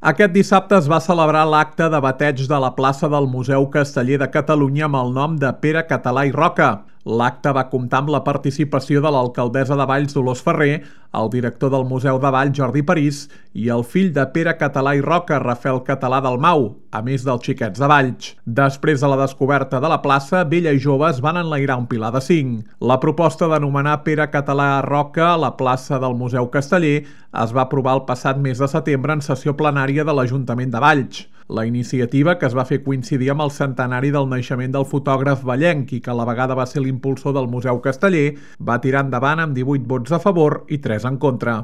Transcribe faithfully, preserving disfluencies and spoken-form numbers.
Aquest dissabte es va celebrar l'acte de bateig de la plaça del Museu Casteller de Catalunya amb el nom de Pere Català i Roca. L'acte va comptar amb la participació de l'alcaldessa de Valls, Dolors Ferrer, el director del Museu de Valls, Jordi París, i el fill de Pere Català i Roca, Rafael Català Dalmau, a més dels xiquets de Valls. Després de la descoberta de la plaça, vella i joves van enlairar un pilar de cinc. La proposta d'anomenar Pere Català Roca a la plaça del Museu Casteller es va aprovar el passat mes de setembre en sessió plenària de l'Ajuntament de Valls. La iniciativa, que es va fer coincidir amb el centenari del naixement del fotògraf vallenc i que a la vegada va ser l'impulsor del Museu Casteller, va tirar endavant amb divuit vots a favor i tres en contra.